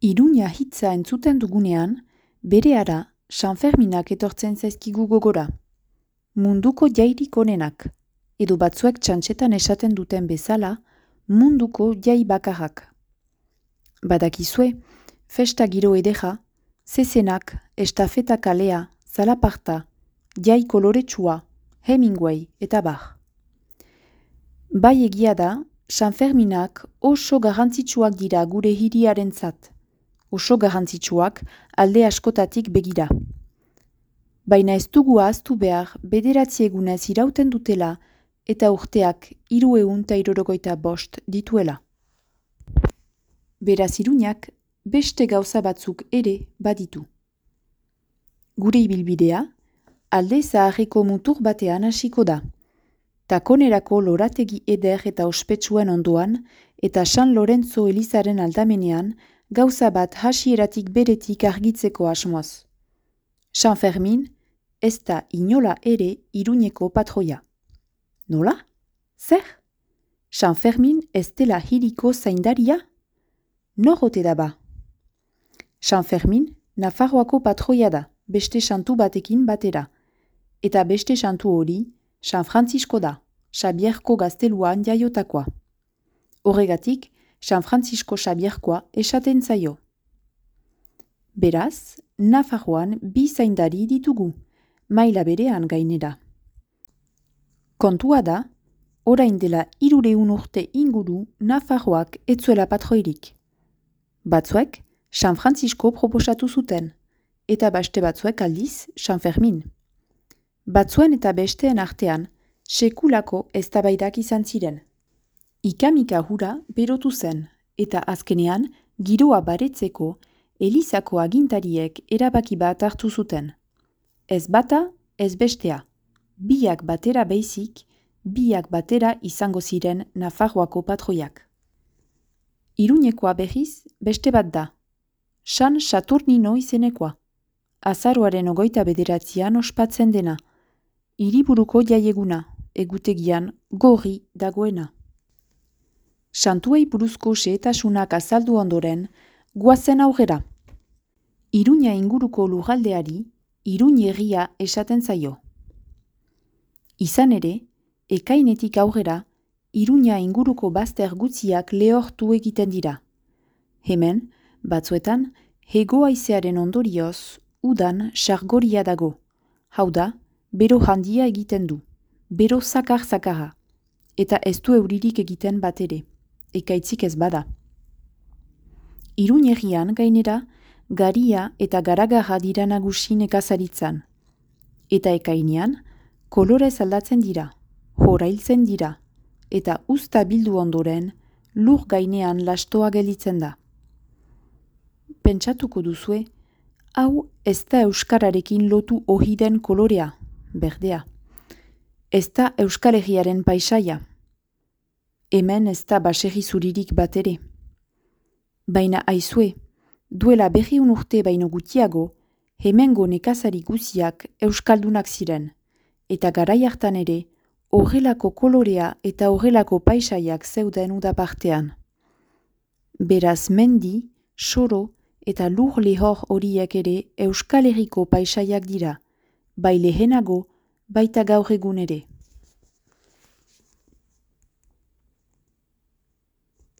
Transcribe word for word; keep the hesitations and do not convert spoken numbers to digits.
Iruña hitza entzuten dugunean, berehala Sanferminak etortzen zaizkigu gogora. Munduko jairik onenak, edo batzuek txantxetan esaten duten bezala, munduko jai bakarrak. Badakizue, festa giro edeja, zezenak, estafeta kalea, zalaparta, jai koloretsua, Hemingway eta bar. Bai egia da, Sanferminak oso garrantzitsuak dira gure hiriarentzat. Oso garrantzitsuak alde askotatik begira. Baina ez dugu ahaztu behar bederatzi egunez irauten dutela eta urteak hiruehun eta hirurogeita bost dituela. Beraz Iruñak beste gauza batzuk ere baditu. Gure ibilbidea, alde zaharreko mutur batean hasiko da. Takonerako lorategi eder eta ospetsuen ondoan eta San Lorenzo Elizaren aldamenean gauza bat hasieratik beretik argitzeko asmoz. San Fermin ez da inola ere Iruñeko patroia. Nola? Zer? San Fermin ez dela hiriko zaindaria? Nor ote da ba? San Fermin Nafarroako patroia da, beste santu batekin batera. Eta beste santu hori San Francisco da, Xabierko gazteluan jaiotakoa. Horregatik, San Francisco Xabierkoa esaten zaio. Beraz, Nafarroan bi zaindari ditugu, maila berean gainera. Kontua da, orain dela hirureun urte inguru Nafarroak etzuela patroirik. Batzuek San Francisco proposatu zuten, eta beste batzuek aldiz San Fermin. Batzuen eta besteen artean, sekulako eztabaidak izan ziren. Ikamika hura berotu zen, eta azkenean giroa baretzeko Elizako agintariek erabaki bat hartu zuten. Ez bata, ez bestea. Biak batera beizik, biak batera izango ziren Nafarroako patroiak. Iruñekoa behiz beste bat da. San Saturnino izenekoa. Azaroaren ogoita bederatzian ospatzen dena. Hiriburuko jaieguna, egutegian gorri dagoena. Santuei buruzko xehetasunak azaldu ondoren, goazen aurrera. Iruña inguruko lurraldeari, Iruñerria esaten zaio. Izan ere, ekainetik aurrera, Iruña inguruko bazter gutziak lehortu egiten dira. Hemen, batzuetan, hego haizearen ondorioz, udan sargoria dago. Hau da, bero handia egiten du, bero zakar-zakarra, eta ez du euririk egiten bat ere, ekaitzik ez bada. Iruñerrian gainera, garia eta garagarra dira nagusi nekazaritzan. Eta ekainean, kolorez aldatzen dira, horailtzen dira, eta uzta bildu ondoren, lur gainean lastoa gelditzen da. Pentsatuko duzue, hau ez da euskararekin lotu ohiden kolorea, berdea. Ez da Euskal Herriaren paisaia. Hemen ez da baserri zuririk bat ere. Baina aizue, duela berriun urte baino gutiago, hemengo nekazari guziak euskaldunak ziren, eta garai hartan ere, horrelako kolorea eta horrelako paisaiak zeuden udapartean. Beraz mendi, soro eta lur lehor horiek ere Euskal Herriko paisaiak dira, bai lehenago, baita gaur egun ere.